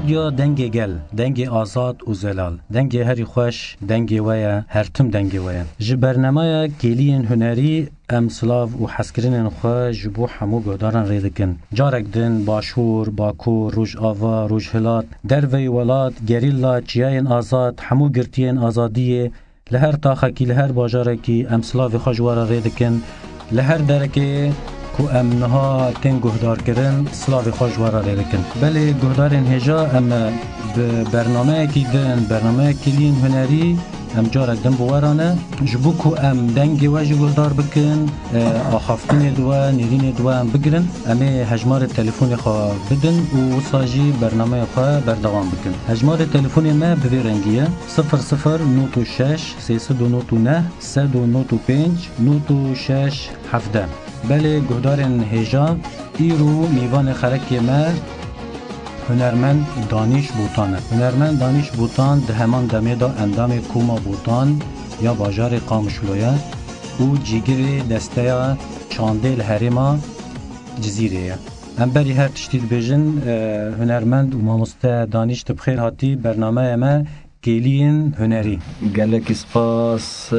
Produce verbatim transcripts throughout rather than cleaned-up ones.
Ya dengê gel, dengê azad û zelal, dengê herî xweş, dengê we ye, her tim dengê we ye. Ji bernameya Kêliyên Hunerî em silav û hezkirinên xwe ji bo hemû guhdaran rê dikin. Carek din Başûr, Bakur, Rojava, Rojhilat, derveyî welat, gerîla, çiyayên azad, hemû girtiyên azadiyê, li her taxekî, li her bajarekî em silavê xwe ji we re rê dikin. Li her derekê ku em niha tên guhdarkirin, silavê xwe ji we re rê dikin. Belê guhdarên hêja, em bi bernameyekî din, bernameya Kêliyên Hunerî, em carek din bi we re ne. Ji bo ku em dengê we jî guhdar bikin, e, axaftinê di we, nêrînê di we em bigirin, em ê hejmarê telefonê xwe bidin û wisa jî bernameya xwe berdewam bikin. Hejmarê telefonê me bi vê rengî ye: sifir sifir nod û şeş, sê sed û nod û neh, sed û nod û pênc, nod û şeş, hevdeh. Belê guhdarên hêja, îro mîvanê xerekê me hunermend Danîş Botan e. Hunermend Danîş Botan di heman demê de endamê Koma Botan ya bajarê Qamişlo ye û cîgirê desteya çandê li herêma Cizîrê ye. Em berî her tiştî dibêjin, e, hunermend û mamoste Danîş, tu bi xêr hatî bernameya me Kêliyên Hunerî. Gelekî spas, e,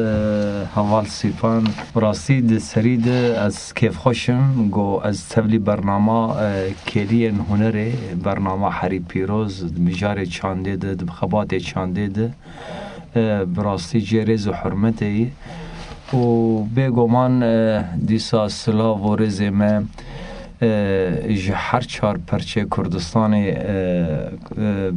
heval Sîfan. Bi rastî di serî de ez kêfxweş im ku ez tevlî bernama, e, Kêliyên Hunerê, bernama herî pîroz, di mijarê çandê de, di xebatê çandê de, e, bi rastî cihê rêz û hurmetê yî. Û bêguman, e, dîsa silav û rêzê me, e, ji her çar perçê Kurdistanê, e, e,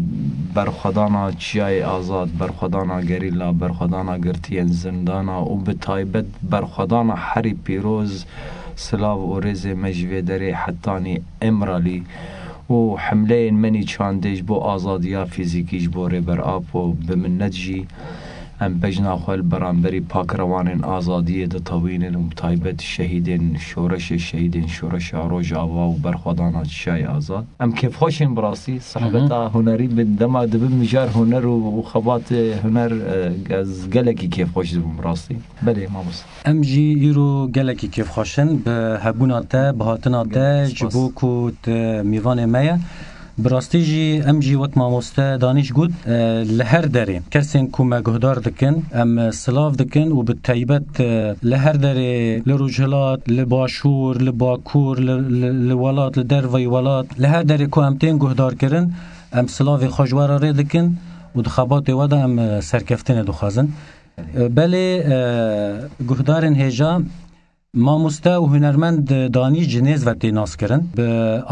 berxwedana çiyayê azad, berxwedana gerîla, berxwedana girtiyên zindana û bi taybet berxwedana herî pîroz, silav û rêzê me ji vê derê hetanî Îmralî û hemleyên menî çandê ji bo azadiya fîzîkî ji bo Rêber Apo bi minnet jî em bejna xwe li beramberî pakrewanên azadiyê ditewînin û bi taybet şehîdên şoreşê, şehîdên şoreşa Rojava û berxwedana Çiyayê Azad. Em kêfxweş in bi rastî. Hı hı. Sehbeta hunerî bi dema dibe mijar huner û, û xebatê huner, e, ez gelekî kêfxweş dibim bi rastî. Belê, mamoste. Em jî îro gelekî kêfxweş in bi hebûna te, bi hatina te, gelekî spas, ji bo ku tu mîvanê me ye. Bi rastî jî em jî wek mamoste Danîş got, e, li her derê kesên ku me guhdar dikin, em silav dikin û bi taybet, e, li her derê, li Rojhilat, li Başûr, li Bakur, li, li, li welat, li derveyî welat, li her derê ku em tên guhdarkirin, em silavê xwe ji we re rê dikin û di xebatê we de em, e, serkeftinê dixwazin. E, belê, e, guhdarên hêja, mamoste û hunermend Danîş ji nêz ve tê naskirin. Bi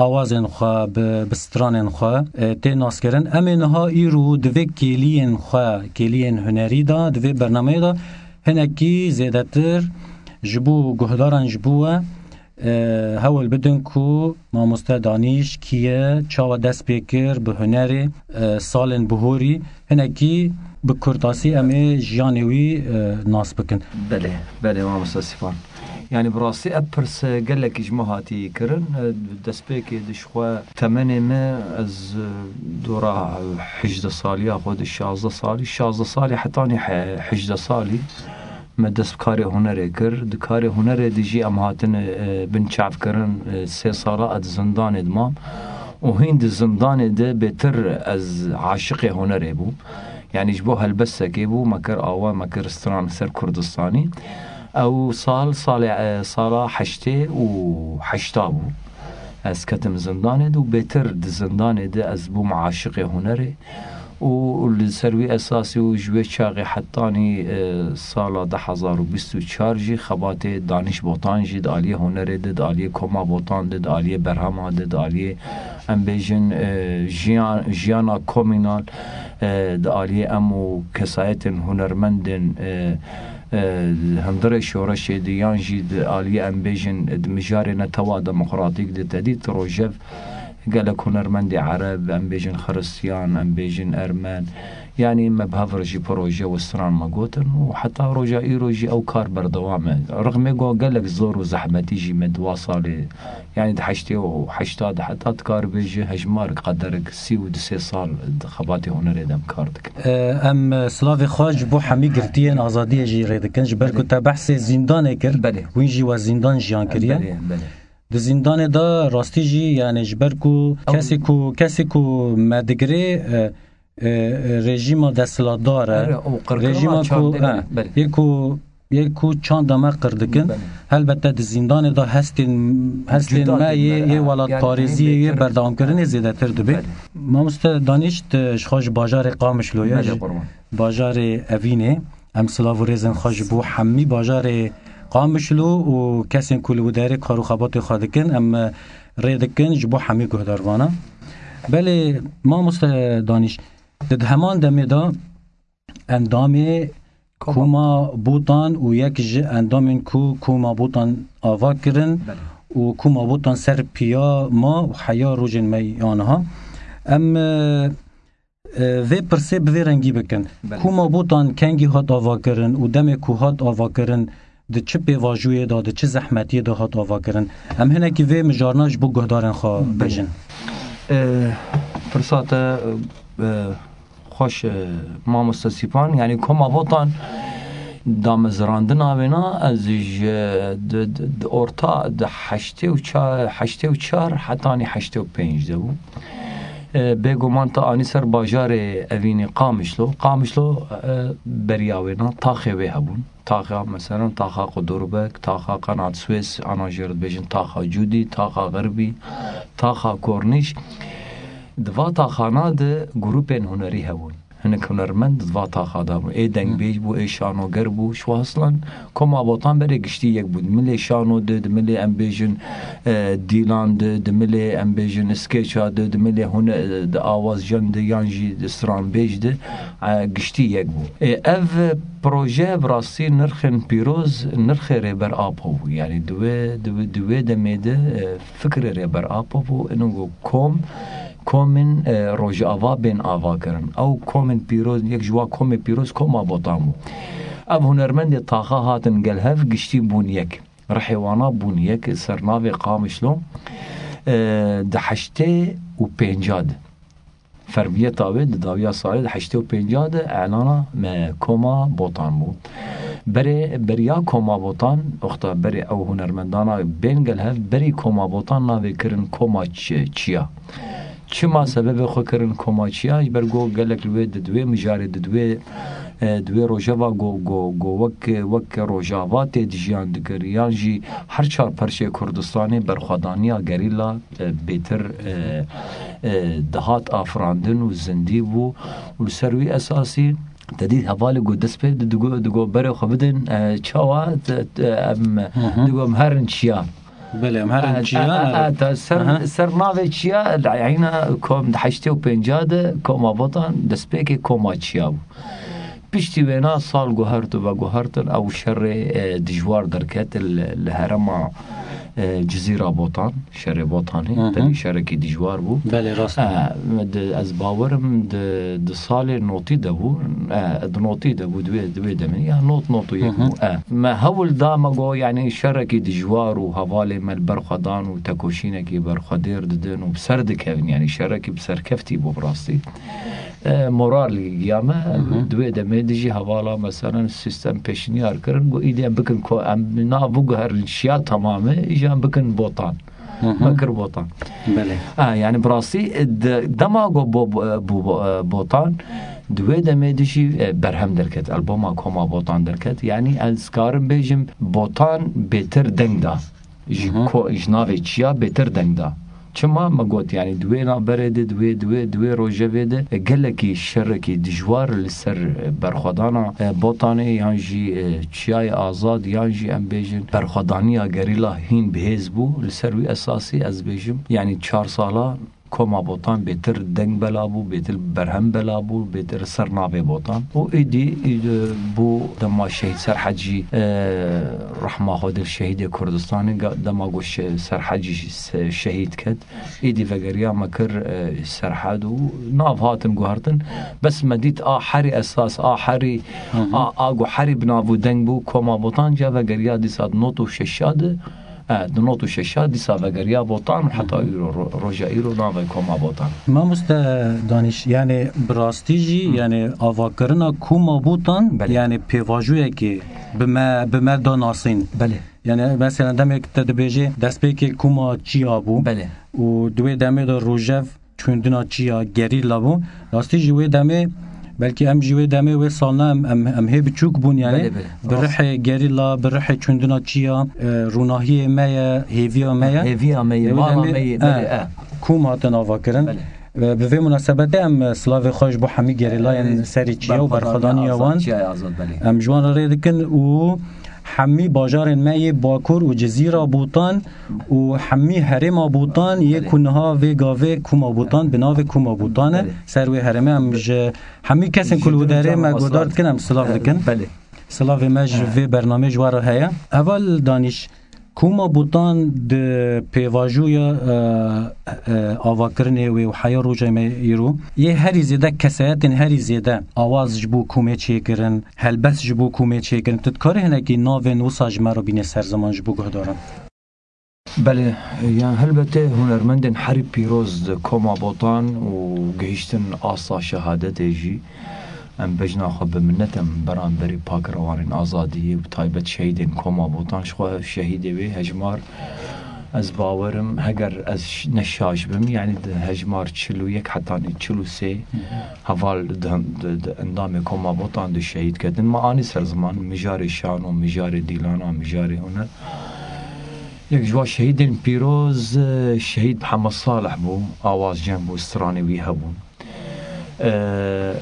awazên xwe, bi, bi stranên xwe, e, tê naskirin. Em ê niha îro di vê kêliyên xwe, kêliyên hunerî de, di vê bernameyê de hinekî zêdetir ji bo guhdaran, ji bo we, e, hewl bidin ku mamoste Danîş kî ye, çawa dest pê kir bi hunerê, e, salên bihorî, hinekî bi kurtasî em ê jiyanê wî, e, nas bikin. Belê, belê, mamoste Sîfan. Yanî bi rastî ev pirs gelekî ji me hatî kirin. E, destpêkê de ji xwe temenê me, ez, e, dora hejdeh saliya xwe de, şazdeh salî, şazdeh salî hetanî he-, hejdeh salî me dest bi karê hunerê kir. Di karê hunerê de jî em hatine, e, binçavkirin. E, sê sala ez di zindanê de mam û hîn di zindanê de bêtir ez aşiqê hunerê bûm. Yanî ji bo helbestekê bû, me kir awa, me kir stran ser Kurdistanî. Ew sal, salê, e, sala heştê û heşta bû. Ez ketim zindanê de û bêtir di zindanê de ez bûm aşiqê hunerê. Û li ser wî esasî û ji wê çaxê hetanî, e, sala du hezar û bîst û çar jî xebatê Danîş Botan jî di aliyê hunerê de, di aliyê koma Botan de, di aliyê berhema de, di aliyê, em bêjin, e, jiyan, jiyana komînal, e, di aliyê em û kesayetên hunermendên, e, e, hundirê şoreşê de yan jî di aliyê, em bêjin, di mijarê netewa demokratîk de, tedî di rojev gelek hunermendê ereb, em bêjin xiristiyan, em bêjin ermen, yanî me bi hev re jî proje û stran me gotin û heta roja îro jî ew kar berdewam e. Rixmê ku gelek zor û zehmetî jî me di wa salê, yanî di heştê û heşta de heta dikaribê ji hejmarek qederek sî û du sê sal di xebatê hunerê de em kar dikin. E, em silavê xwe ji bo hemî girtiyên azadiyê jî rê dikin, ji ber ku, belê, te behsê zîndanê kir, belê, wîn jî we zîndan jiyan kiriye. Belê, belê. Di zîndanê de rastî jî, yani ji ber ku kesê ku, kesê ku me digirê, e, e, rejîma desthilatdar e. Erê, û qirkirina Rejîma ku, çandê, e, belê, belê. yê ku, yê ku çanda me qir dikin. Belê. Helbette di zîndanê de hestên, hestên Cuda me tê yê, me, yê e, welatparêziyê, yani yê berdewamkirinê zêdetir dibe. Belê. Mamoste Danîş, tu ji xwe ji bajarê Qamişlo ye, Belê, ji qurban. bajarê Evînê. Em silav û rêzên xwe ji bo hemî bajarê Qamişlo û kesên ku li wî derê kar û xebatê xwe dikin, em, e, rê dikin ji bo hemî guhdarvana. Belê, mamoste Danîş, di, di heman demê de endamê Koma. Koma Botan û yek ji endamên ku Koma Botan ava kirin Belê. û Koma Botan ser piya ma û heya rojên me ya niha. Em, e, e, vê pirsê bi vê rengî bikin. Belê. Koma Botan kengî hat avakirin û demê ku hat avakirin, di çi pêvajoyê de, di çi zehmetiyê de hat avakirin? Em hinekî vê mijarna ji bo guhdarên xwe Belê. bêjin. E, pirsa te, e, xweş, e, mamoste Sîpan, yani Koma Botan damezrandina wêna ez ji, di, di, di orta, di heştê û çar, heştê û çar hetanî heştê û pênc de bû. E, bêguman te anî ser bajarê Evînê Qamişlo. Qamişlo, e, beriya wêna taxê wê hebûn. Taxa, meselen, taxa Qudurbek, taxa Qenat Swês, ana jê re dibêjin taxa Cûdî, taxa Xirbî, taxa Kornîş. Di va taxana de grûpên hunerî hebûn. Hinek hunermend di va taxa de bûn. Ê dengbêj bû, ê şanoger bû. Şwa heslan Koma Botan berê giştî yek bû. Di milê şano de, di milê em bêjin, e, dîlan de, di milê em bêjin skêça de, di milê hune-, di awazjan de yan jî di stranbêj de, e, giştî yek bû. E, ev proje bi rastî nirxên pîroz, nirxê Rêber Apo bû. Yani di wê, di wê, di wê demê de, e, fikrê Rêber Apo bû. Ino ku kom, komên, e, Rojava bên ava kirin. Ew komên pîroz, yek ji wa komê pîroz Koma Botan bû. Ev hunermendê taxa hatin gel hev giştî bûn yek. Rihê wana bûn yek ser navê Qamişlo, e, di heştê û pênca de. Fermiyeta wê di dawiya salê di heştê û pênca de elana me Koma Botan bû. Berê, beriya Koma Botan, oxta berê ew hunermendana bên gel hev, berî Koma Botan navê kirin Koma Çi-, Çiya. Çima sebebê xwe kirin Koma Çiya? Ji ber ku gelek li wê di, di wê mijarê, di, di wê, e, di wê rojeva ku, ku, ku wek, wek Rojava tê dijiyan dikir, yan jî her çar perçê Kurdistanê berxwedaniya gerîla, e, bêtir, e, e, dihat afirandin û zindî bû û li ser wî esasî te dît hevalê ku dest pê di, digo, digo berê xwe bidin, e, çawa, te, te, em, Hı hı. digo em herin çiya. Belê, em herin A, çiya, a, a, evet. ta ser, Aha. ser navê çiya, di eyna kom, di heştê û pênca de Koma Botan destpêkê Koma Çiya bû. Piştî wêna sal guhert û veguhertin ew şerê, e, dijwar derket li, li herêma, e, Cizîra Botan, şerê Botanê, Hı hı. tevî şerekî dijwar bû. Belê, rast. E, di, ez bawerim di, di salê notî de bû, e, di notî de bû, di wê, di wê demê, ya not, not û yek Hı hı. bû. E, me hewl da, me got, yani şerekî dijwar û hevalê me li ber xwe dan û tekoşînekî ber xwe dêr didin û bi ser dikevin, yani şerekî bi serkeftî bû bi rastî. E, moral giya me, Hı hı. di wê demê de jî hevala, meselen, sîstem pêşniyar kirin, got, îdî em bikin ko-, em nav biguherin çiya temamê, îja em bikin Botan. Hı hı. Me kir Botan. Belê. Ha, yani bi rastî, e, de-, dema ku bo-, bo-, e, bû bo-, e, Botan, di wê demê de jî, e, berhem derket, alboma Koma Botan derket. Yani ez karim bêjim, Botan bêtir deng da. Ji Hı hı. ko-, ji navê çiya bêtir deng da. Çima me got, yani di wê navberê de, di wê, di wê, di wê rojevê de, e, gelekî şerekî dijwar li ser, e, berxwedana, e, Botanê yan jî, e, Çiyayê Azad yan jî em bêjin berxwedaniya gerîla hîn bihêz bû. Li ser wî esasî ez bêjim, yani çar sala Koma Botan bêtir deng bela bû, bêtir berhem bela bû, bêtir ser navê Botan. Û êdî, êdî bû dema Şehîd Serhecî, e, rehma Xwedê li şehîdê Kurdistanê, ga-, dema ku şe-, Serhecî se-, şehîd ket, êdî vegeriya me kir, e, Serhed û nav hatin guhertin. Bes me dît a herî esas, a herî, Hı hı. a, a ku herî bi nav û deng bû, Koma Botan ca vegeriya dîsa di not û şeşa de, E, di nod û şeşa dîsa vegeriya Botan û heta îro, ro-, roja îro navê koma Botan. Mamoste Danîş, yani bi rastî jî, yani avakirina koma Botan, Belê. yani pêvajoyekê bi me, bi me da nasîn. Belê. Yani mesela demek te dibêje destpêkê koma çiya bû. Belê. Û di wê demê de rojev çûndina çiya, gerîla bû. Rastî jî wê demê, belkî em jî wê demê wê salna em, em, em hê biçûk bûn yani. Belê, belê. Bi Rast. rihê gerîla, bi rihê çûndina çiya, e, rûnahiyê me ye, hêviya me ye. Hêviya me ye, Wê mala demê, me ye, e, belê, e. kûm hatin avakirin. Belê. E, bi vê munasebetê em, e, silavê xwe ji bo hemî gerîlayên E, serî çiya û berxwedaniya berxwedaniya wan, çiyayê azad, belê. em ji wan re rê dikin û hemî bajarên me yê Bakur û Cizîra Botan û hemî herêma Botan yê Belê. ku niha vê gavê kûma Botan, bi navê kûma Botan e. Belê. Ser wê herêmê em ji hemî kesên Ji ku li wê derê me guhdar dikin, em silav dikin. Belê. Silavê me ji He. vê bernamê ji wan re heye. Heval Danîş, kûma Botan di pêvajoya, e, e, avakirinê wê û heya roja me îro yê herî zêde kesayetên herî zêde awaz ji bo kûmê çêkirin, helbest ji bo kûmê çêkirin. Tu dikarî hinekî navên wisa ji me re bînî ser ziman ji bo guhdaran? Belê, yan helbetê hunermendên herî pîroz di koma Botan û gihîştin asta şehadetê jî em bejna xwe bi minnet em beramberî pakrewanên azadiyê û bi taybet şehîdên koma Botan. Ji xwe şehîdê wê hejmar, ez bawerim, heger ez ş-, ne şaş bim, yani di hejmar çil û yek hetanî çil û sê heval di, di, di endamê koma Botan di şehîd ketin. Me anî ser ziman mijarê şano, mijarê dîlana, mijarê huner. Yek ji wan şehîdên pîroz, e, şehîd Mihemed Salih bû, awaz cem bû, stranê wî hebûn. E,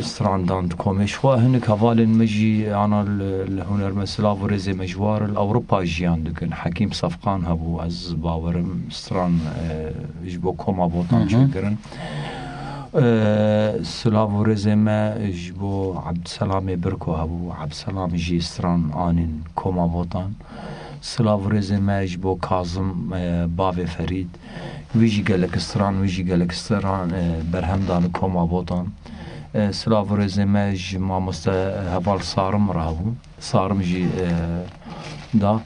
stran dan di komê. Ji xwe hinek hevalên me jî ana li, li hunermend silav û rêzê me ji war li Ewropa jiyan dikin. Hekîm Sefqan hebû, ez bawerim stran, e, ji bo koma Botan Hı hı. çêkirin. E, silav û rêzê me ji bo Ebdselamê Birko hebû. Ebdselam jî stran anîn koma Botan. Silav û rêzê me ji bo Kazim, e, bavê Ferîd. Wî jî gelek stran, wî jî gelek stran, e, berhem dan koma Botan. E, silav û rêzê me ji mamoste, e, heval Sarim re hebû. Sarim jî, e, da.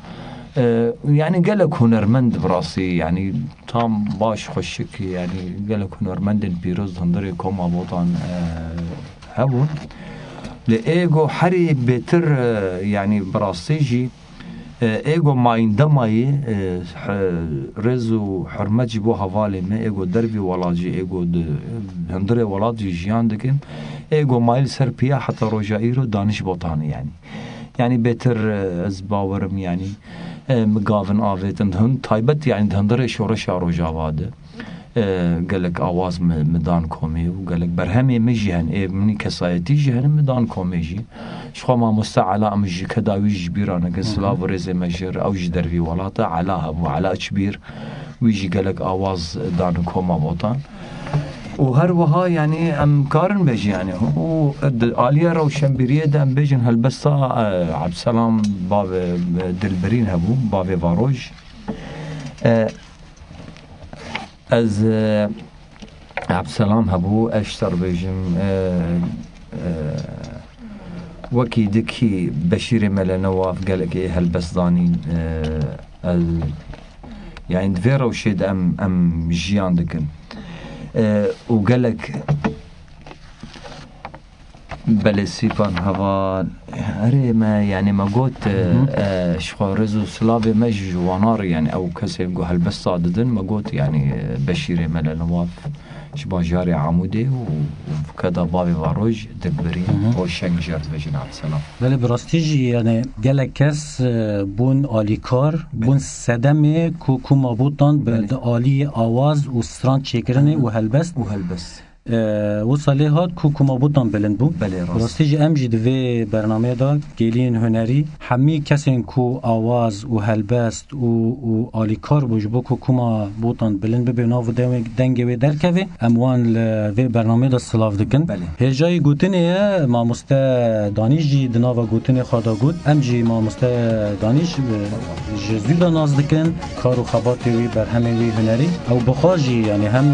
E, yani gelek hunermend bi rastî, yani tam baş xweşik, yani gelek hunermendên pîroz hundirê koma Botan, e, hebûn. Lê êgo herî bêtir, e, yani bi rastî jî, e, êgo mayînde mayî, e, he-, rêz û hurmet ji bo hevalê me, êgo dervî welat jî, êgo di hundirê welat jî jiyan dikin. Êgo mayî li ser piya heta roja îro Danîş Botanî yani. Yani bêtir, e, ez bawerim yani, e, mi gavin avêtin di hund-, taybet yani di hundirê şoreşa Rojava de. E, gelek awaz mi, mi dan komê û gelek berhemê mi jî hen, ê min kesayetî jî hen mi dan komê jî. Ji xwe mamoste Ela em ji keda wî ji bîra nekin, Hı hı. silav û rêzê me jê re, ew ji dervî welat e, Ela hebû, Ela Çibîr, wî jî gelek awaz dan koma Botan. Û her wiha yani em karin bêjin yani, û di aliya rewşenbîriyê de em bêjin helbesta, e, Ebdselam bavê, e, Dilbirîn hebû, bavê Varoj. E, Ez, e, Ebdselam hebû, ez ji te re bêjim, e, e, wekî dikî Beşîrê Mele Newaf gelekê helbest danîn, e, ez, yani di vê rewşê de em, em jiyan dikin. E, û gelek Belê, sîpan heval. Erê me, yani me got, Hı hı. e, ji xwe rêz û silavê me ji wana re, yani ew kesên ku helbesta didin, me got, yani, e, Beşîrê Mele Newaf ji bajarê Amûdê û, û keda bavê Varoj Dilbirîn Hı hı. Roşeng jê re dibêjin Ebdselam. Belê, bi rastî jî, yani gelek kes, e, bûn alîkar, bûn sedemê ku koma Botan bi Belê. di aliyê awaz û stran çêkirinê Hı hı. û helbest. Û helbest. E, wisa lê hat ku koma Botan bilind bû. Belê, rast. Rastî jî em jî di vê bernameyê de geliyên hunerî hemî kesên ku awaz û helbest û, û alîkar bû ji bo ku koma Botan bilind bibe û nav û dewê-, dengê wê derkeve, em wan li vê bernameyê de silav dikin. Belê. Hêjayî gotinê ye, mamoste Danîş jî di nava gotinê xwe de got. Em jî mamoste Danîş, e, ji zû de nas dikin. Kar û xebatê wî, berhemê wî hunerî, ew bi xwe jî, yani hem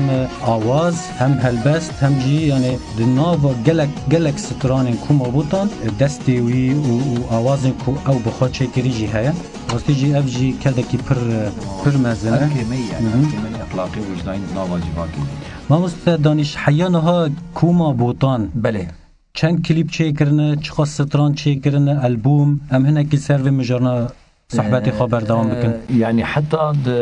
awaz, hem helbest, Hem jî, yani, di nava gelek, gelek stranên Koma Botan, e, destê wî û, û awazên ku ew bi xwe çêkirî jî heye. Rastî jî ev jî kedekî pir, e, pir mezin e. Ev kêmeyî ye, Hı hı. ev kêmeyî exlaqî û wijdanî di nava civakê de. Mamoste Danîş, heya niha Koma Botan Belê. çend klîp çêkirine, çiqas stran çêkirine, albûm, em hinekî ser vê mijarna sohbetê xwe berdewam bikin. Ee, yani heta di,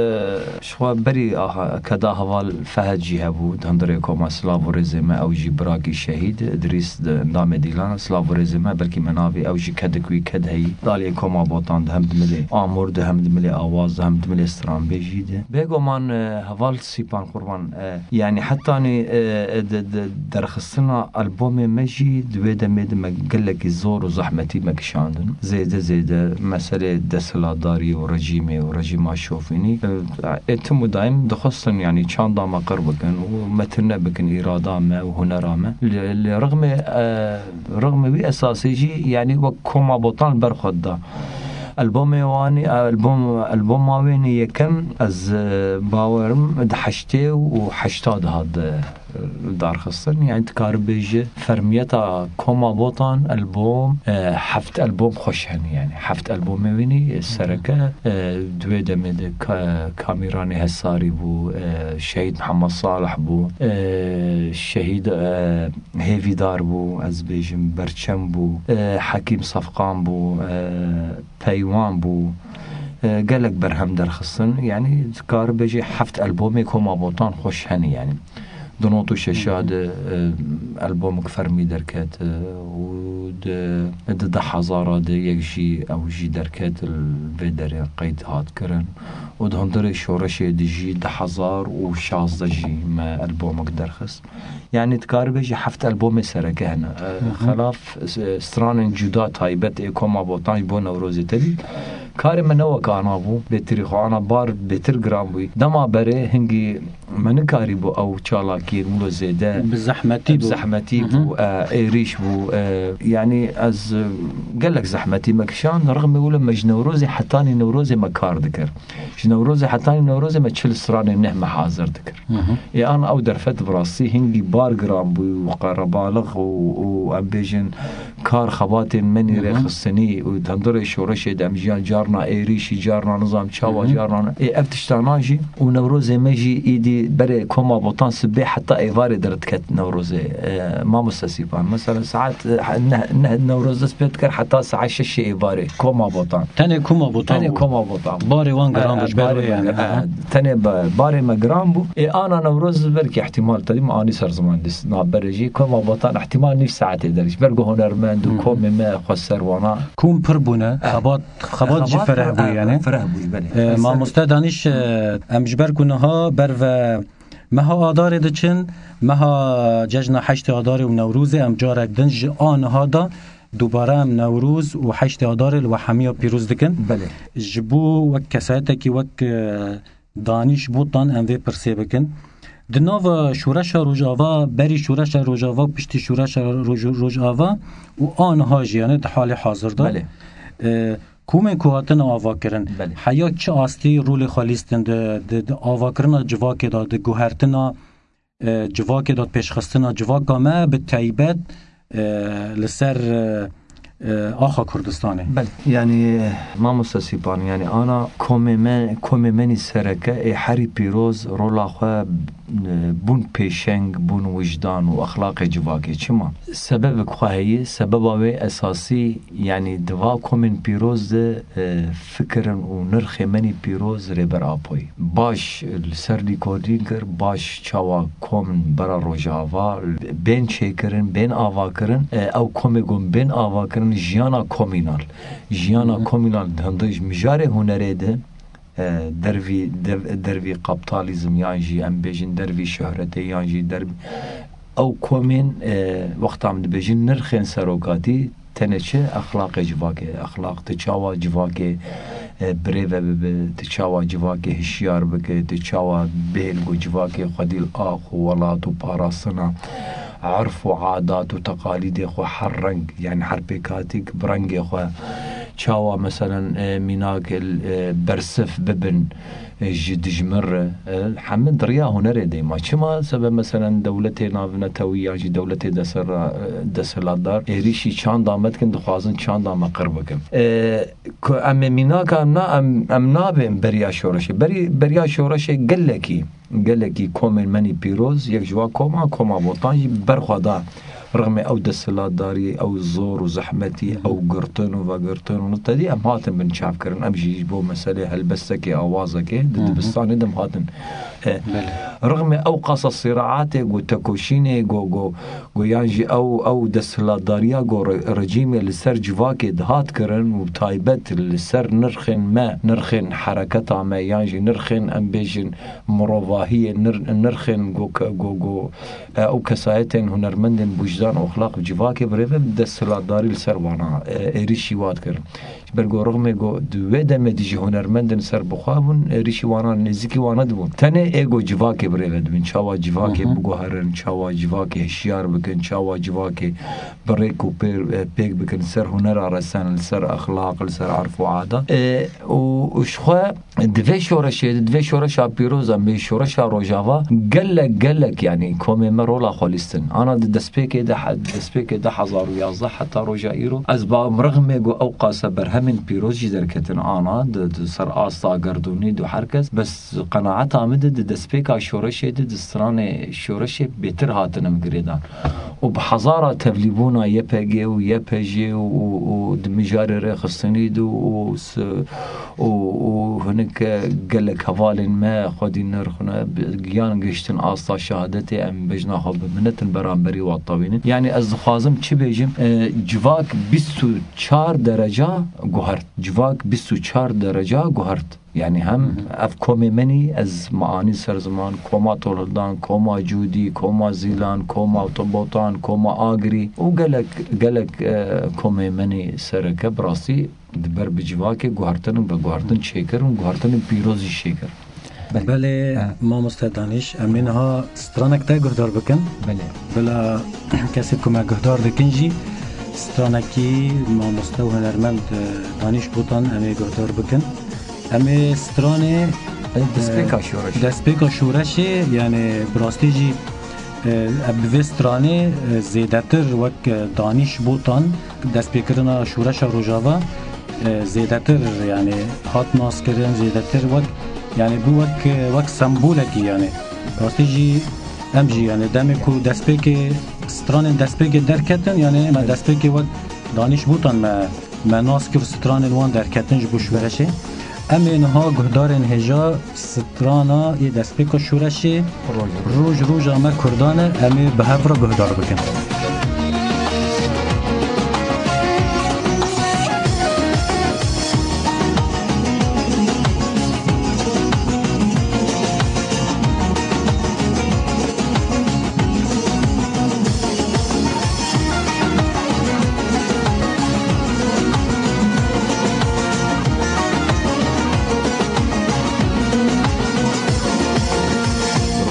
ji xwe berî aha, keda heval Fehd jî hebû, di hundirê koma silav û rêzê me, ew jî birakî şehîd, Idrîs di endamê dîlan, silav û rêzê me, belkî me navî, ew jî kedik wî ked heyî. Daliyê koma Botan di hem di milê amûr, di hem di milê awaz, di hem di milê stranbêjî de. Bêguman, e, heval Sîpan Qurban, e, yani hetanî, e, e, di, di, derxistina albomê me jî di wê demê de me gelekî zor û zehmetî me kişandin. Zêde zêde meselê desthilatdarî û rejîmê û rejîma şofînî, e, e, tim û daîm dixwestin, yanî çanda me qir bikin û me tune bikin îrada me û hunera me. Li, li rixmê, e, rixmê wî esasê jî, yanî wek koma Botan li ber xwe dida. Albomê wanî, albom, alboma wê nê yekem, ez, e, bawerim di heştê û heşta de hat, e, darxistin. Yani dikare bêje fermiyeta koma Botan albom, e, heft albom xweş hene yani. Heft albomê wî nî, e, sereke, e, di wê demê de ka-, Kamîranê Hesarî bû, e, Şehîd Mihemed Salih bû, e, Şehîd, e, Hêvîdar bû, ez bêjim Berçem bû, e, Hekîm Sefqan bû, e, Peywan bû, e, gelek berhem derxistin. Yani dikare bêje heft albomê koma Botan xweş hene yani. Di not û şeşa de, e, albomik fermî derket, e, û di, di du hezara de yek jî ew jî derket, li vê derê qeyd hat kirin. Û di hundirê şoreşê de jî du hezar û şazdeh jî me albomik derxist. Yani dikare bêje heft albomê sereke hene. E, Hı hı. Xelaf, e, stranên cuda taybet ê koma Botan ji bo Newrozê tevî. Karê me ne wek ana bû, bêtirî xwe ana bar bêtir giran bûyî. Dema berê hingî me nikarîbû ew çalakiyên wilo zêde Bi zehmetî bi bû. zehmetî Hı hı. bû, e, êrîş bû. E, yani ez, e, gelek zehmetî me kişand, rixmê wilo me ji Newrozê hetanî Newrozê me kar dikir. Ji Newrozê hetanî Newrozê me çil stranên neh me hazir dikir. Hı hı. Ê an ew derfet bi rastî hingî bar giran bû û qerebalix û, û em bêjin kar xebatên me nî Hı hı. rêxistinî û di hundirê şoreşê de em jiyan carna êrîşî, carna nizam çawa, Hı hı. carna. Ê ev tiştana jî û Newrozê me jî îdî berê koma Botan sibê heta êvarê derdiket Newrozê. E, mamoste Sîpan. Mesela saet, e, neh, neh Newroz dest pê dikir heta saet şeşê êvarê. Koma Botan. Tenê koma Botan Tenê bû. koma Botan bû. Barê wan giran bû, E, ji ber barê wê me yani. gir-, e, Aha. tenê ba-, barê me giran bû. Ê ana Newroz belkî ihtimal tedî me anî ser ziman dîs. Na berê jî koma Botan ihtimal nîv saetê derî. Ji ber ku hunermend û Hı hı. komê me xwe ser wana. Kom pir bûne, E, xebat, xebat jî xebat fereh pir, bû e, yani. fereh bû, belê. E, Fereh. Mamoste Danîş, e, em ji ber ku niha ber ve meha Adarê diçin, meha cejna heştê Adarê û Newrozê em carek din ji a niha de dubare em Newroz û heştê Adarê li we hemiya pîroz dikin. Belê. Ji bo wek kesayetekî wek, e, Danîş Botan em vê pirsê bikin. Di nava şoreşa Rojava, berî şoreşa Rojava, piştî şoreşa Roj-, Rojava û a niha jî, yani di halê hazir de, Belê. e, komên ku hatine avakirin, Belê. heya çi astî rolê xwe lîstin di, di, di avakirina civakê de, di guhertina, e, civakê de, pêşxistina civaka me bi taybet, e, li ser, e, e, axa Kurdistanê. Belê, yani, mamoste Sîpan, yani ana komê me, komê me nî sereke ê herî pîroz rola xwe, e, bûn pêşeng, bûn wijdan û exlaqê civakê. Çima? Sebebek xwe heye, sebeba wê esasî, yani di va komên pîroz de, e, fikirin û nirxê me nî pîroz Rêber Apoyî. Baş li ser lîkolîn kir, baş çawa kom bera Rojava, bên çêkirin, bên avakirin, e, ew komê ku bên avakirin, jiyana komînal. Jiyana Hı hı. komînal di hundir ji mijarê hunerê de, e, dervî, dev-, dervî kaptalîzm yan jî em bêjin dervî şohretê yan jî dervî, ew komên, e, wexta em dibêjin nirxên serokatî, tenê çi? Exlaqê civakê. Exlaq, tu çawa civakê, e, birêve bibe, tu çawa civakê hişyar bike, tu çawa bêhêl ku civakê xwedî li ax û welat û parastina erf û adat û teqalîdê xwe her reng, yani her pêkhatîk bi rengê xwe çawa meselen, e, mînak, e, bersif bibin, e, ji dijmin re. E, hemî di riya hunerê de ma. Çima? Sebe meselen dewletê navnetewî yan jî dewletê desera-, e, desthilatdar êrîşî çanda me dikin, dixwazin çanda me qir bikin. E, ku em ê mînaka em na, em, em nabên beriya şoreşê. Berî, beriya şoreşê gelekî, gelekî komên menî pîroz, yek ji wa koma, koma Botan jî berxwe da rixmê ew desthilatdarî, ew zor û zehmetî, ew girtin û vegirtin û tedî em hatin bin çavkirin. Em jî ji bo meselê helbestekê, awazekê di Hı hı. dibistanê de em hatin. E, Belê. rixmê ew qasa sîraatê, go tekoşînê, go, go, go yan jî ew, ew desthilatdariya, go re-, rejîmê li ser civakê dihat kirin û taybet li ser nirxên me, nirxên hereketa me, yan jî nirxên, em bêjin, mirovahiyê, nir-, nirxên go ke-, go, go, e, ew kesayetên hunermendên bûjdan û exlaq û civakê birêve desthilatdarî li ser wana, e, êrîşî wat kirin. Ji ber ku rixmê ku di wê demê de jî hunermendin ser bi xwe bûn, êrîşî wana nêzîkî wana dibûn. Tenê ê ku civakê birêve dibin, çawa civakê Hı hı. biguherin, çawa civakê hişyar bikin, çawa civakê bi rêk û pê-, pêk bikin, li ser hunera resen, li ser exlaq, li ser erf û adat. E, û, û ji xwe Di vê şoreşê de, di vê şoreşa pîroz de, em bê şoreşa Rojava, gelek, gelek, yanî komê me rola xwe lîstin. Ana di destpêkê de, he-, destpêkê du hezar û yazdeh heta roja îro, ez bawim rixmê ku ew qase berhemên pîroz jî derketin ana, di, di ser asta gerdûnî de her kes, bes qenaeta min de di destpêka şoreşê de, di stranê şoreşê bêtir hatin em girêdan. Û bi hezara tevlîbûna Y P G û Y P J û, û, û di mijarê rêxistinî de û s-, û, û hinek gelek hevalên me xwedî nirxine, bi-, giyan gihiştin asta şehadetê, em bejna xwe bi minetin beramberî wan tewînin. Yanî ez dixwazim çi bêjim, e, civak bîst û çar dereca guhert. Civak bîst û çar dereca guhert. Yanî hem Hı hı. ev komê menî, ez me anî ser ziman, koma Tolhildan, koma Cûdî, koma Zîlan, koma Botan, koma Agirî û gelek, gelek, e, komê menî sereke bi rastî di ber bi civakê guhertin ve guhertin çêkir û guhertinên pîroz jî çêkir. Belê. Belê, He. mamoste Danîş, em ê niha stranek te guhdar bikin. Belê. Bila kesê ku me guhdar dikin jî stranekî mamoste û hunermend, e, Danîş Botan em ê guhdar bikin. Em ê stranê, Ê, destpêka e, şoreşê. destpêka şoreşê, yani bi rastî jî, e, bi vê stranê, e, zêdetir wek, e, Danîş Botan destpêkirina şoreşa Rojava, e, zêdetir, yani hat naskirin, zêdetir wek, yani bû wek, e, wek sembolekî yani. Rastî jî em jî yani demê ku destpêkê, stranên destpêkê derketin, yani me destpêkê wek Danîş Botan me me nas kir, stranên wan derketin ji bo şoreşê. Em ê niha guhdarên hêja strana yê destpêka şoreşê Roj, roj. Roj roja me Kurdan e, em ê bi hev re guhdar bikin.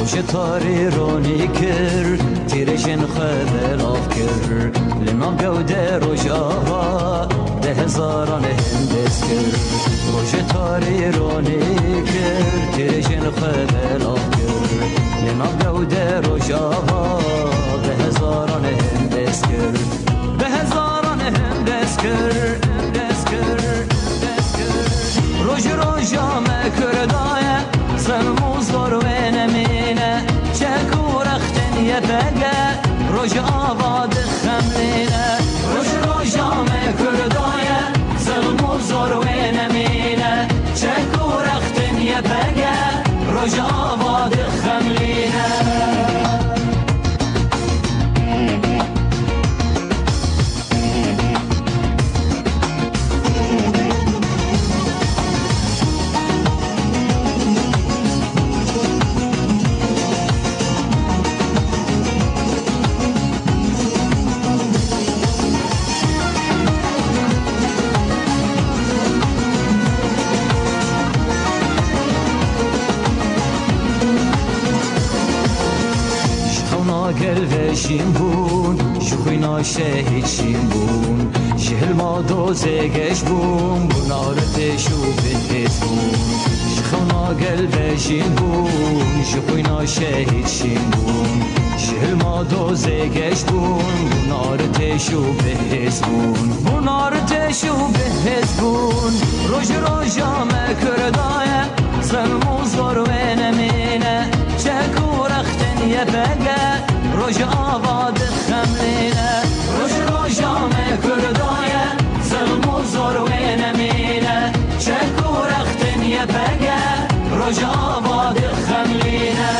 Rojê tarî ronî kir, tîrêjên xwe belav kir. Li nav gewde Rojava, bi hezaran hindez kir. Rojê tarî ronî kir, tîrêjên xwe belav kir. Li nav gewde Rojava, bi hezaran hindez kir. Bi hezaran hindez kir, hindez kir, hindez kir. Roj roja me Kurda ye, zilm û zor wê nemîne. Çek û rextên Y P G, Rojava dixemlîne. Roj roja me Kurda ye, zilm û zor wê nemîne. Çek û rextên Y P G, Rojava dixemlîne. Ji xewna gel ve şîn bûn, ji xwîna şehîd şîn bûn. Ji hilma dozê geş bûn, bûn artêş û bihêz bûn. Ji xewna gel vejîn bûn, ji xwîna şehîd şîn bûn. Ji hilma dozê geş bûn, bûn artêş û bihêz bûn. Bûn artêş û bihêz bûn, roj roja me Kurda ye. Zilm û zor wê nemîne, çek û rextên Y P G, roj ava dixemlîne. Roj roja me Kurda ye, zilm û zor wê nemîne, çek û rextên Y P G, roj ava dixemlîne.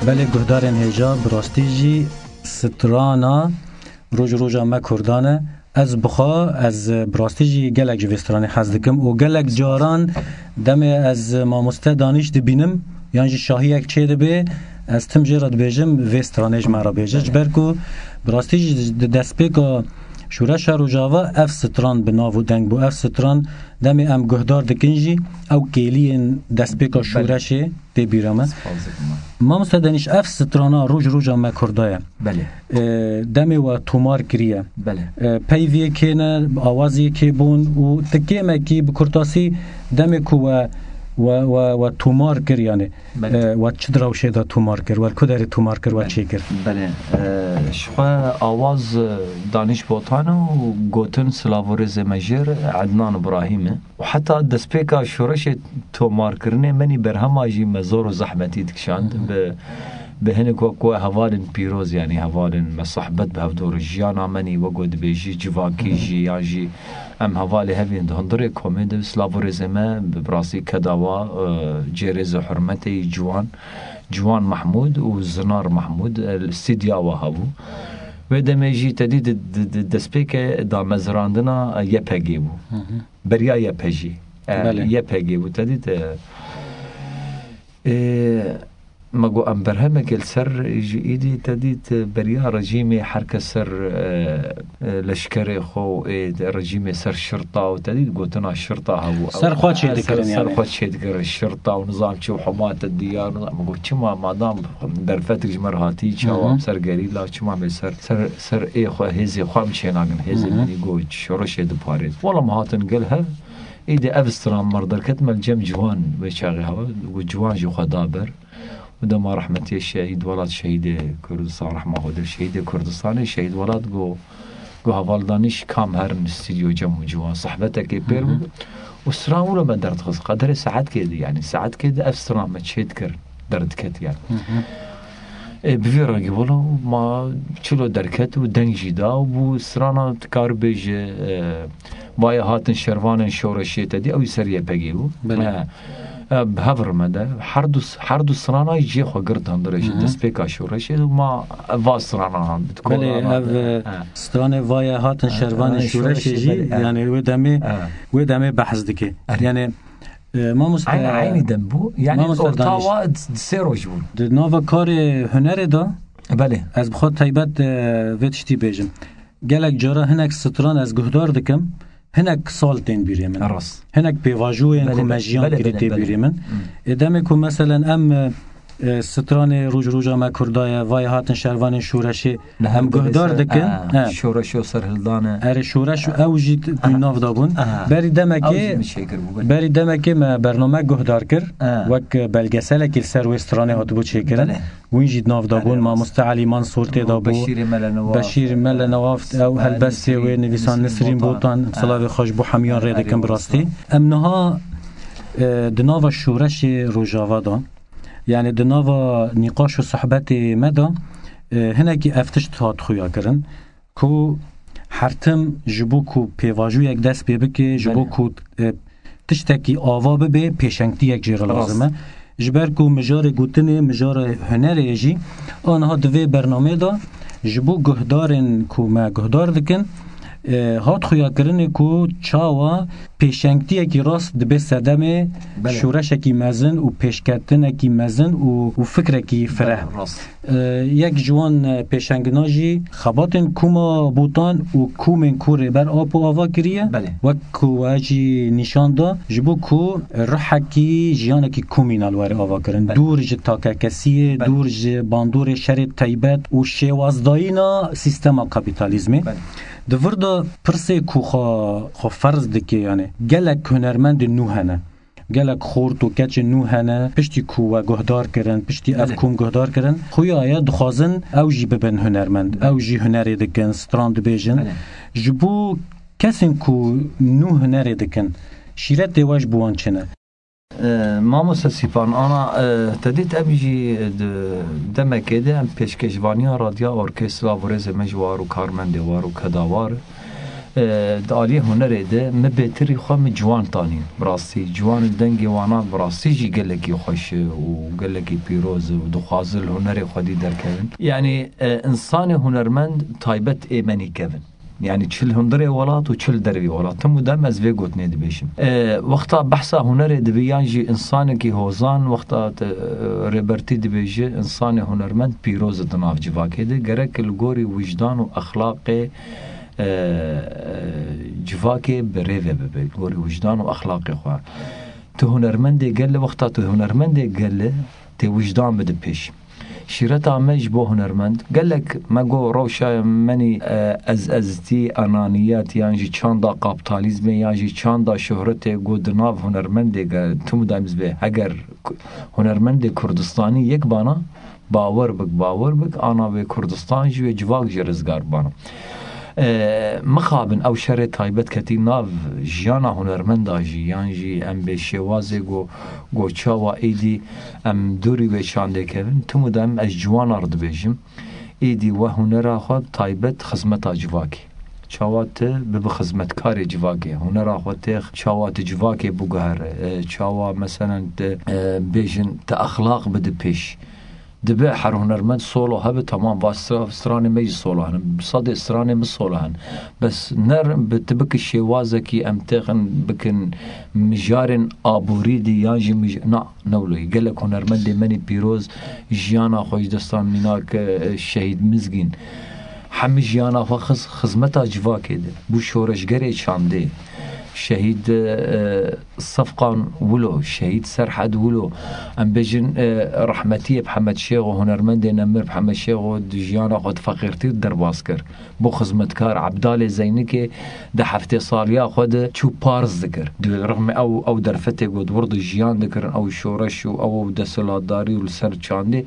Belê guhdarên hêja, bi rastî jî strana Roj roja me Kurdan e. Ez bi xwe, ez bi rastî jî gelek ji vê stranê hez dikim û gelek caran demê ez mamoste Danîş dibînim yan jî şahiyek çêdibe, ez tim jê re dibêjim, vê stranê ji me re bêje. Ji ber ku bi rastî jî di destpêka şoreşa Rojava ev stran bi nav û deng bû. Ev stran demê em guhdar dikin jî ew kêliyên destpêka şoreşê tê bîra me. Spas dikim. Mamoste Danîş, ev strana Roj roja me Kurda ye. Belê. E, demê we tomar kiriye. Belê. E, peyviyê kê ne, awaziyê kê bûn û ti kêmekî bi kurtasî demê ku we, we, we, we tomar kir, yani, Belê. E, we çi di rewşê de tomar kir, we li ku derê tomar kir, we Belê. çê kir? Belê. E, ji xwe awaz, e, Danîş Botan û gotin silav û rêzê me jêr Ednan Ibrahîm e. Û heta destpêka şoreşê tomarkirinê menî berhema jî me zor û zehmetî dikişand. Hı hı. Bi, bi hinek wek we hevalên pîroz, yanî hevalên me sohbet bi hevdor jiyana menî wek we dibêjî civakî Hı hı. jî yan jî em hevalê hevîn di hundirê komê de silav û rêzê me bi rastî keda wa, e, cê rêz û hurmetê yî ciwan, Ciwan Mehmûd û Zinar Mehmûd, e, stîdya wa hebû. Wê demê jî te dî di, di, di destpêkê damezrandina Y P G bû. Hı hı. Beriya Y P G. E, Belê. Y P G bû, te dît, e, e, me got, em berhemekê li ser ji îdî te dît, e, beriya rejîmê her kes ser, e, e, leşkerê xwe û ê rejîmê ser şirta û te dît gotina şirta hebû. Ser xwe çêdikirin, ser yani. Xwe çêdikirin şirta û nizam çi û hema te diyar, nizam, me got, çima madam derfetik ji me re hatî, çawa Hı hı. em ser gerîla, çima me ser, ser, ser ê xwe, hêzê xwe em çênakin, hêzê Hı hı. me dî got, şoreşê diparêt. Wela me hatin gel hev, Îdî ev stran me derket, me li cem ciwan wê çaxê hewa, û ciwan jî xwe da ber. Û dema rehmetiyê şehîd welat, şehîdê Kurdistan, rehma Xwedê, şehîdê Kurdistanê, şehîd welat got, got, heval Danîş kam herin stîdyo cem û ciwan, sehbetekê pêr Hı hı. bû. Û stran wilo me derdixist, qederê saetkê di, yanî saetkê di ev stran me çêdikir, derdiket yani. Hı hı. E, bi vî rengî wilo ma çilo derket û deng jî da û bû strana, dikar bêje, e, Vaye hatin şervanên şoreşê te dî, ew jî ser Y P G bû. Belê. E, e, bi hev re me de her du, her du strana jî cihê xwe girt hundirê jî Hı hı. destpêka şoreşê û ma va strana han, bi Belê, kola ev, me de. e, Ha. stranê Vaye hatin Ha, şervanên stranê şoreşê şoreşê jî, belê, ha. yani wê demê, Ha. wê demê behs dike. Erê. Yani, e, mamoste, Aynı, aynı dem bû. Yani mamoste orta Danîş. wa d-, sê roj bûn. Di nava karê hunerê de Belê. ez bi xwe taybet, e, vê tiştî bêjim. Gelek cara hinek stran ez guhdar dikim, hinek sal tên bîrê min. Rast. Hinek pêvajoyên Belê, ku me belê, jiyan belê, kirî belê, tê belê. bîrê min. Hmm. Ê demê ku meselen em, e, e, stranê Roj roja me Kurda ye, Vaye hatin şervanên şoreşê, Li her em guhdar ser, dikin. ha, He. şoreş û serhildane. Erê şoreş û ew jî t-, Ha. nav da bûn. Ha. Berî demekê, Ew jî min çêkir bû, belê. berî demekê me bername guhdar kir. Ha. Wek belgeselekî li ser wê stranê hatibû çêkirin. Belê. Wîn jî di nav de bûn, Belê, mamoste Elî Mansûr tê de bû. Beşîrê Mele Newaf, Beşîr Mele Newaf, ew e, helbestê wê, Nisrîn, nivîsan Nisrîn Nisrîn Botan, Botan, e, silavê xweş bo hemûyan rê dikim bi rastî. Em niha, e, di nava şoreşê Rojava de, yani di nava nîqaş û sohbetê me de, e, hinekî ev tişt hat xuya kirin. Ku her tim ji bo ku pêvajoyek dest pê bike, ji bo Belê. ku, e, tiştekî ava bibe, pêşengtiyek jê re Rast. lazim e. Ji ber ku mijarê gotinê, mijarê hunerê ye jî, aniha di vê bernameyê de ji bo guhdarên ku me guhdar dikin, E, hat xuyakirinê ku çawa pêşengtiyekî rast dibe sedemê Belê. şoreşekî mezin û pêşketinekî mezin û, û fikrekî fireh. Belê, rast. E, yek ji wan, e, pêşengina jî xebatên Kûma Botan û komên ku Rêber Apo ava kiriye, Belê. wek ku we jî nîşan da, ji bo ku rihekî jiyanekî komînal were ava kirin. Belê. Dûr ji takekesiyê, Belê. dûr ji bandorê şerê taybet û şêwazdayîna sîstema kapîtalîzmê. Belê. Di vir de pirsê ku xwe, xwe ferz dike, yani gelek hunermendên nû hene. Gelek xort û keçên nû hene, piştî ku we guhdar kirin, piştî ev Belê. kom guhdar kirin, xuya ye dixwazin ew jî bibin hunermend. Belê. Ew jî hunerê dikin, stran dibêjin. Belê. Ji bo kesên ku nû hunerê dikin, şîretê we ji bo wan çi ne? E, Mamoste Sîpan, ana, e, te dît em jî di demekê de em pêşkêşvaniya Radya Orkestra Vorêzê me ji war û karmendê war û kedawar. E, di aliyê hunerê de min bêtirî xwe min ciwan tanîn. Bi rastî, ciwan û dengê wana bi rastî jî gelekî xweş e û gelekî pîroz e û dixwaze li hunerê xwedî derkevin. Yanî, e, insanê hunermend taybet ê me nîkevin. Yanî çi li hundirê welat û çi li dervî welat. Tim û dem ez vê gotinê dibêjim. E, wexta behsa hunerê dibe yan jî insanekî hozan, wexta te, e, Rêbertî dibêje, insanê hunermend pîroz e di nav civakê de. Gerek li gorî wijdan û exlaqê, e, civakê bi rê ve bibe, li gorî wijdan û exlaqê xwe. Tu hunermendê gel e, wexta tu hunermendê gel e, tê wijdan bide pêş. Şîreta me ji bo hunermend. Gelek me got rewşa menî, e, ez eztî, enaniyet, yan jî çanda kapitalizmê, yan jî çanda şohretê got di nav hunermendê ge-, tim û dem ez bê. Heger ku-, hunermendê Kurdistanî yek bana, bawer bik, bawer bik, ana wê Kurdistan jî wê civak jî rizgar bana. E, mixabin ew şerê taybet ketî nav jiyana hunermenda jî, yan jî em bê şêwazê go, go çawa êdî em dûrî wê çandê kevin, tim û dem ez ciwana re dibêjim, êdî we hunera xwe taybet xizmeta civakê. Çawa tu bibi xizmetkarê civakê, hunera xwe têx çawa tu civakê biguhere, e, çawa meselen tu, e, bêjin tu exlaq bidi pêş. Dibe her hunermend solo hebe, tamam, va stra-, stranê me jî solo hene. Bi sedê stranê min solo hene. Bes ner bi, tu biki şêwazekî em têxin bikin mijarên aborî dî yan jî mij-, na, ne wilo ye. Gelek hunermendê menî pîroz jiyana xwe ji destan mînak, e, şehîd Mizgîn. Hemî jiyana xwe xiz-, xizmeta civakê de. Bû şoreşgerê çandê. Şehîd, e, Sefqan Wilo, Şehîd Serhed Wilo, em bêjin, e, rehmetiyê Mihemed Şêxo, hunermendê nemir Mihemed Şêxo di jiyana xwe di feqîrtî derbas kir. Bû xizmetkar Ebdalê Zeynikê di heftê saliya xwe de çû parz dikir. Di rixmê ew, ew derfetê ku di wir de jiyan dikirin, ew şoreş û ew, ew desthilatdarî û li ser çandê,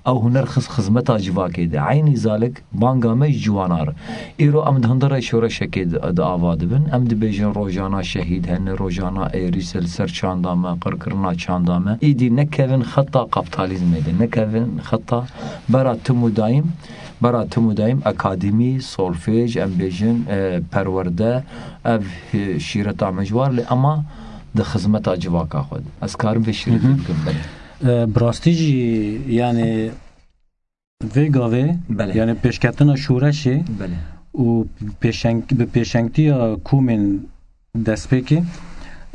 ew huner xist xizmeta civakê de. Eynî zalik banga me ji ciwana re. Îro em di hundirê şoreşekê di, di ava dibin. Em dibêjin rojana şehîd hene, rojana êrîs e li ser çanda me, qirkirina çanda me. Îdî nekevin xeta kapitalizmê de, nekevin xeta bera tim û dayîm, bera tim û dayîm akademî, solfêj, em bêjin, e, perwerde, ev, e, şîreta me ji war, lê ema di xizmeta civaka xwe de. Ez karim vê şîretê Hı hı. bikim, belê. E, bi rastî jî, yani, vê gavê, Belê. yani pêşketina şoreşê Belê. û pêşeng-, bi pêşengtiya komên destpêkê,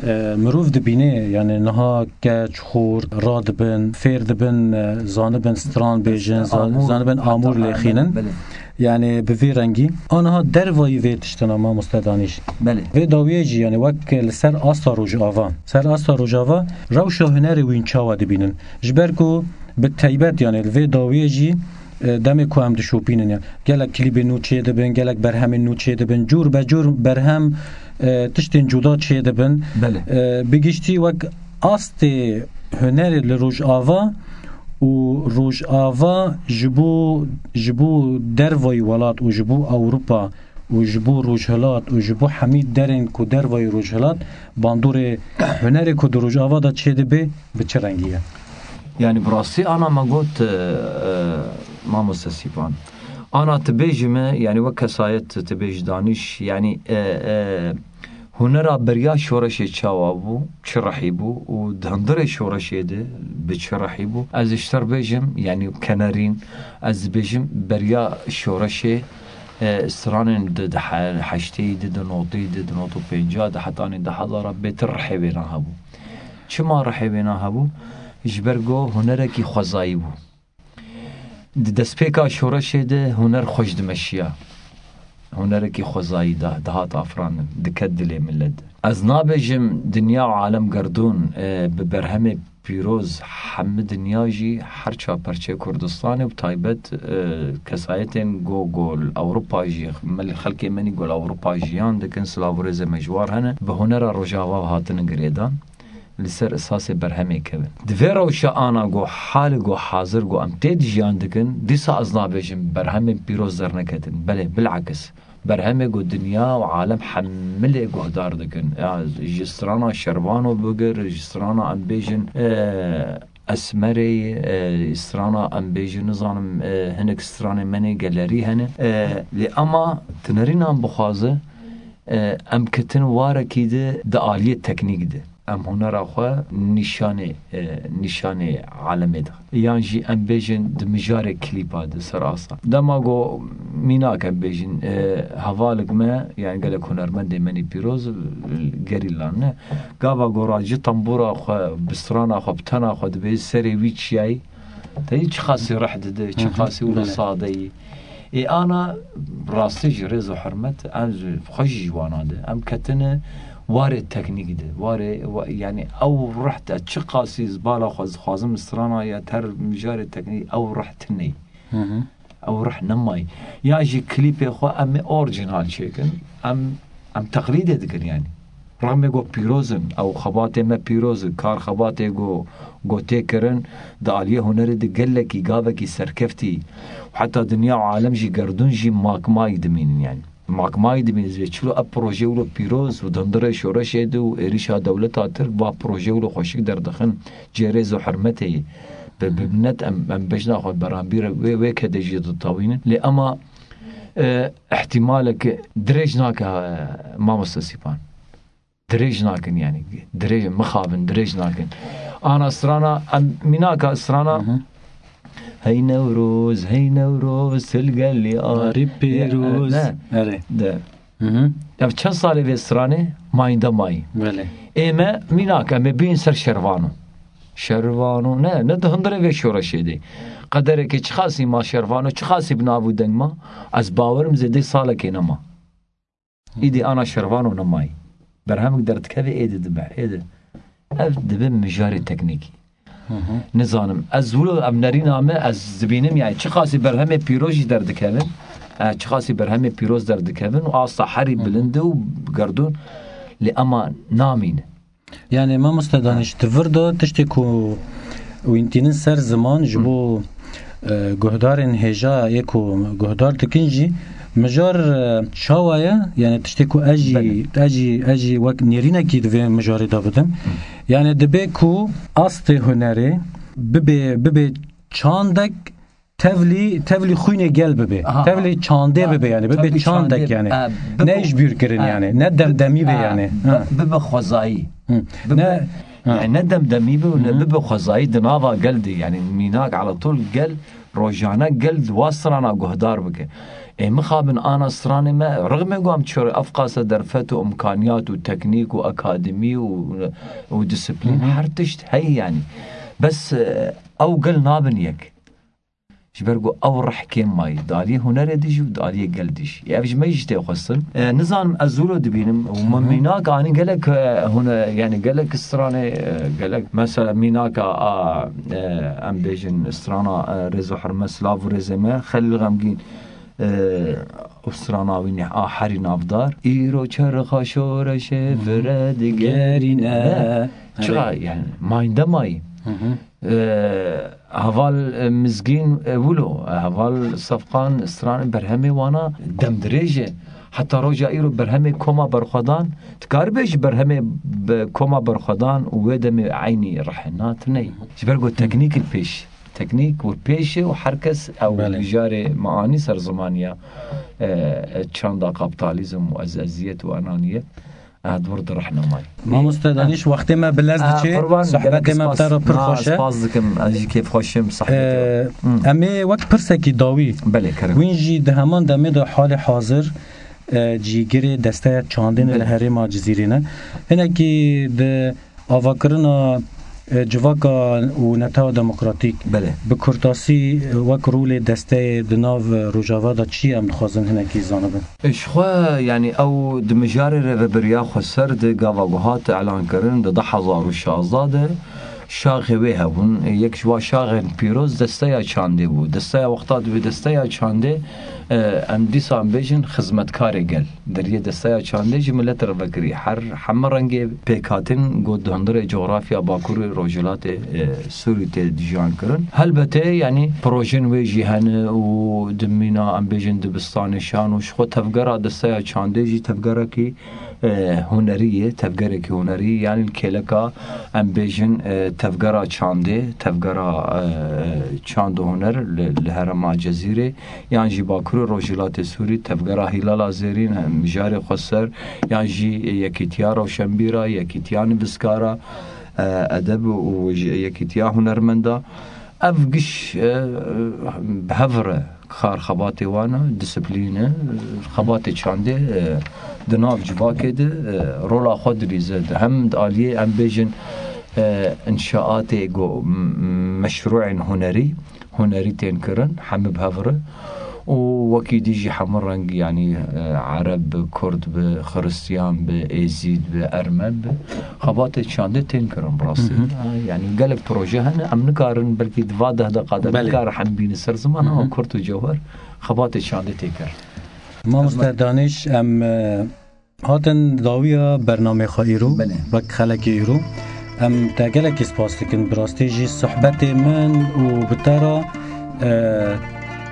e, mirov dibîne, yani niha keç, xort, radibin, fêr dibin, e, zanibin stran bêjin, zan-, Amûr, zanibin amûr heta lêxînin. Belê. Yani bi vê rengî. Aniha dervayî vê tiştina mamoste Danîş. Belê. Vê dawiyê jî, yani wek li ser asta Rojava. Ser asta Rojava rewşa hunerê wîn çawa dibînin? Ji ber ku bi teybet, yani li vê dawiyê jî, e, demê ku em dişopînin, yani gelek klîbên nû çê dibin, gelek berhemên nû çê dibin, cûr be cûr berhem, e, tiştên cuda çê dibin. Belê. E, bi giştî wek astê hunerê li Rojava û Rojava ji bo, ji bo dervayî welat û ji bo Ewropa û ji bo Rojhilat û ji bo hemî derên ku dervayî Rojhilat, bandorê hunerê ku di Rojava de çêdibe, bi çi rengî ye? Yani bi rastî ana me got, e, e, mamoste Sîpan. Ana tu bêjî me, yani wek kesayet tu bêjî Danîş, yani, e, e, hunera beriya şoreşê çawa bû, çi rehî bû û di hundirê şoreşê de bi çi rehî bû? Ez ji te re bêjim, yani kenerîn, ez dibêjim beriya şoreşê E, stranên di, di he-, heştê yî di, di notê yî di, di not û pênca di, hetanî di hezara bêtir rihê wêna hebû. Çima rihê wêna hebû? Ji ber ku hunerekî xwezayî bû. Di destpêka şoreşê de huner xweş dimeşiya. Hunerekî xwezayî da, dihat afirandin, diket dilê millet. Ez nabêjim dinya û alem gerdûn, e, bi berhemê pîroz hemî dinya jî her çar perçê Kurdistanê û bi taybet, e, kesayetên go, go li Ewropa jî, mil-, xelkê me nî go li Ewropa jiyan dikin, silav û rêzê me ji war hene, bi hunera Rojava hatine girêdan. Li ser esasê berhemê kevin. Di vê rewşa ana ku hali ku hazir ku em tê de jiyan dikin, dîsa ez nabêjim berhemên pîroz derneketin. Belê, bilakis. Berhemê ku dinya û alem hemilê guhdar dikin. Ya, ji strana Şervano bigir, ji strana em bêjin, e, Esmerê, e, strana em bêjin, nizanim, e, hinek stranê me nê gelerî hene. E, lê ema tu nerînan bixwaze, e, em ketin warekî de di aliyê teknîk de. Em hunera xwe nîşanê, e, nîşanê alemê de. Yan jî em bêjin di mijarê klîpa de ser asta. Dema ku mînak em bêjin, e, hevalek me, yani gelek hunermendê me nî pîroz, e, gerîlan ne. Gava ku ra ji tembûra xwe, bi strana xwe, bi tena xwe dibê serê wî çiyayî, te yî çiqasî rih dide, çiqasî wilo sade yî. Ê ana rastî jî rêz û hurmet, em ji xwe jî ji wana de. Em ketine warê teknîk de. Warê, wa-, yani ew rih te çiqasî zibala xwe dixwazim strana ya ter mijarê teknîk ew rih tine yî. Ew rih nemayî. Ya jî klîpê xwe em ê orjinal çêkin. Em, em teqlîdê dikin yani. Rexmê ku pîroz in, ew xebatê me pîroz in, kar xebatê ku, ku tê kirin, di aliyê hunerê de gelekî gavekî serkeftî û heta dinya û alem jî gerdûn jî makmayî dimînin yani. Makmayî dimînin. Zê çilo ev proje wilo pîroz û di hundirê şoreşê de û êrîşa dewleta Tirk va proje wilo xweşik derdixin cê rêz û hurmetê yê. Bi, bi minnet em, em bejna xwe beranbîr wê, wê kedê jî ditewînin. Lê ema, e, ihtimaleke dirêj nake, e, mamoste Sîpan. Dirêj nakin yani. Dirêj, mixabin, dirêj nakin. Ana strana, em, mînaka strana, Hey Newroz, hey Newroz, til gelî arî pîroz. Ne, Erê. De. Ev çend salê vê stranê mayînde mayî. Belê. Ê me mînak, em ê bîn ser Şervano. Şervano, ne, ne di hundirê vê şoreşê de. Qederekê çiqasî ma Şervano, çiqasî bi nav û deng ma, ez bawerim zêdê salekê nema. Îdî ana Şervano nemayî. Berhemek derdikeve êdî dibe, êdî. Ev dibe mijarê teknîkî. Nizanim. Ez wilo ev nerîna me, ez dibînim, yani çiqasî berhemê pîroz jî derdikevin, e, çiqasî berhemê pîroz derdikevin û asta herî bilind e û gerdûn, lê ema namîne. Yani mamoste Daniş, di vir de tiştê ku wîntînin ser ziman ji bo, e, guhdarên hêja yê ku guhdar dikin jî, mijar, e, çawa ye? Yani tiştê ku ez jî, Belê. ez jî, ez jî wek nêrînekî di vê mijarê de bidim. Yani dibe ku astê hunerê bibe, bibe çandek tevlî, tevlî xwînê gel bibe. Aha. Tevlî çandê Ha. bibe yani. Bibe Tevlî çandek çandê, yani. e, bibe Ne ji bîr kirin Ha. yani. Ne demdemî be Ha. yani. Bi-, Ha. bibe xwezayî. Hı. Bibe, Ne Ha. yani ne demdemî be û ne Hı hı. bibe xwezayî di nava gel de yani. Mînak ala tol gel, rojane gel di wa strana guhdar bike. Ê mixabin ana stranê me, rixmê ku em çor efqase derfet û imkaniyat û teknîk û akademî û, û disiplîn Hı hı. her tişt heye yani. Bes, e, ew gel nabin yek. Ji ber ku ew rih kêm mayî. Di aliyê hunerê de jî û di aliyê gel de jî. Ev ji me jî tê xwestin. E, nizanim ez wilo dibînim. Û me Hı hı. mînak anî gelek, e, hune-, yani gelek stranê, e, gelek mesela mînaka a, e, em bêjin strana, e, rêz û hurmet, silav û rêzê me, Xelîl Xemgîn, e, û strana wî neh a herî navdar. Îro çerxa şoreşê Hı hı. vire digerîne. Gerîne. Ne? Çiqa Erê. yani mayînde mayî. Hı hı. E, heval, e, Mizgîn, e, wilo, e, heval Sefqan stranê berhemê wana demdirêj e. Heta roja îro berhemê Koma Berxwedan, tu karibê ji berhemê be-, Koma Berxwedan û wê demê eynî rihê na tune ye. Ji ber ku teknîk li pêş, teknîk wir pêş e û her kes ew Belê. mijarê me anî ser zimaniya, e, e, çanda kapitalizm û ez-, eziyet û enaniyet. Ez di wir de rehnemay. Mamoste Danîş, wextê me bi lez diçe, sohbetê me bi te re pir xweş e. Spas dikim, ez jî kêfxweş im, sehbetê we. Em ê wek pirsekî dawî, belê, kerem. Wîn jî di heman demê de halê hazir, e, cîgirê desteya çandê ne li herêma Cizîrê ne. Hinekî di avakirina, e, civaka û netewa demokratîk, belê, bi kurtasî, e, wek rolê desteyê di nav, e, Rojava de çi ye, em dixwazin hinekî zanibin? Ji xwe, yanî ew di mijarê Rêveberiya Xweser de gava ku hat elankirin di du hezar û şazda de şaxê wê hebûn. Yek ji wa şaxên pîroz desteya çandê bû. Desteya wexta dibê desteya çandê, e, em dîsa em bêjin xizmetkarê gel. Deriyê desteya çandê ji milet re vekirî. Her heme rengê pêkhatin got di hundirê cografya Bakurê Rojhilatê, e, Sûrî tê dijan kirin. Helbetê, yanî projên wê jî hene û di mîna, em bêjin, dibistanê şan û ji xwe tevgera desteya çandê jî tevgerekî, e, hunerî ye, tevgerekî hunerî, yanî li kêleka, em bêjin, e, tevgera çandê, tevgera, e, çand û huner li, li herêma Cezîrê, yan jî Bakurê Rojhilatê Sûrî, tevgera Hîlala Zêrîn, e, mijarê xweser, yan jî Yekîtiya Rewşenbîra, Yekîtiya Nivîskara, e, Edeb û ji-, Yekîtiya Hunermenda. Ev giş, e, bi hev re kar xebatê wan e, disiplîn e, xebatê çandê, e, di nav civakê de, e, rola xwe dilîze. Di hem di aliyê, em bêjin, e, înşaatê go-, m-, meşrûên hunerî, hunerî tên kirin, hemî bi hev re. Û wekî dî jî hemû reng, yanî, e, Ereb bi, Kurd bi, Xiristiyan bi, Êzîd bi, Ermen bi, xebatê çandê tên kirin bi rastî. Hı hı. E, yanî gelek proje hene, em nikarin belkî di va deh deqa de, belê, nikarin hemî bînin ser ziman, hı hı, ama kurt û cewher xebatê çandê tê kir. Mamoste Danîş, em, e, hatin dawiya bernamê xwe îro, belê, wek xelekê îro. Em te gelekî spas dikin. Bi rastî jî sohbetê min û bi te re, e,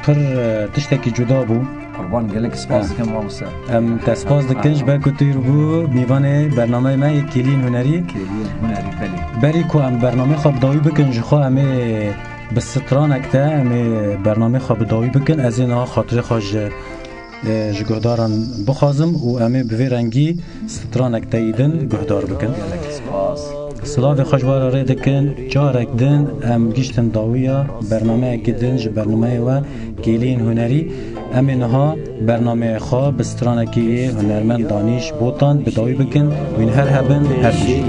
pir, e, tiştekî cuda bû. Qurban, gelek spas dikim, mamoste. Em te spas dikin ji ber ku tu îro bû mîvanê bernameyê me yê Kêliyên Hunerî. Kêliyên Hunerî, belê. Berî ku em bernameyê xwe bi dawî bikin, ji xwe em ê bi stranek te, em ê bernameyê xwe bi dawî bikin. Ez ê niha xatirê xwe ji e, ji guhdaran bixwazim û em ê bi vê rengî stranek te yî din guhdar bikin. Silavê xwe ji we re rê dikin. Carek din em giştin dawiya bernameyekî din ji bernameyê we Kêliyên Hunerî. Em ê niha bernameyê xwe bi stranekî yê hunermend Danîş Botan bi dawî bikin. Wîn her hebin, her bijîn.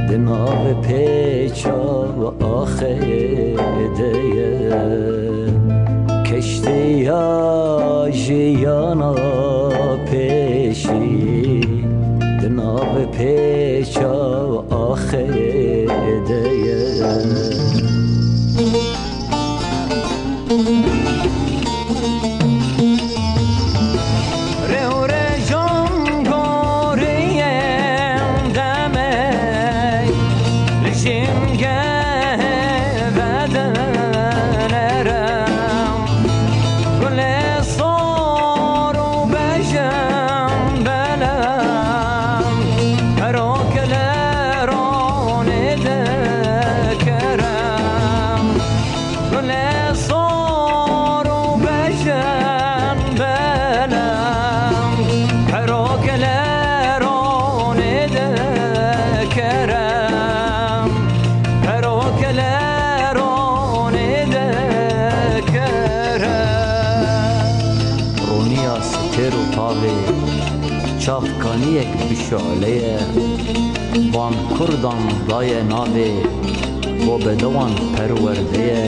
Di nav pêça axê de ye. Keştiya jiyana pêşî di nav pêça axê de ye. Rewrejan goriyên demê li jîngehê vedinere. Gulê sor û bejin belem, herok li ronê dikere. Gulê sor û bejin belem, herok li ronê dikere. Herok li ronê dikere. Roniya stêr û tavê, çavkaniyek bi şoleye. Van kurdan daye navê, bo bedewan perwerdeye.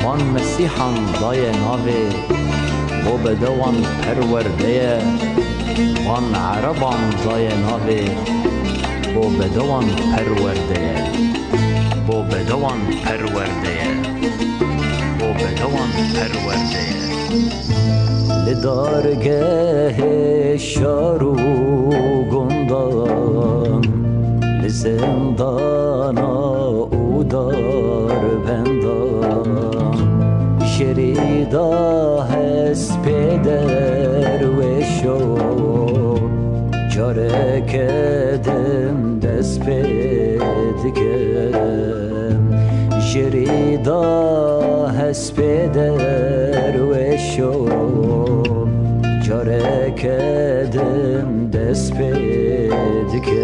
Van mesîhan daye navê, bo bedewan perwerdeye. Van ereban daye navê, bo bedewan perwerdeye. Bo bedewan perwerdeye. Bo bedewan perwerdeye. Li dargehê şar û gundan, li zindana û darbendan, jêrî da hespê derwêşo, careke din dest pê dikim. Jêrî da hespê derwêşo, careke din Ez pê dike.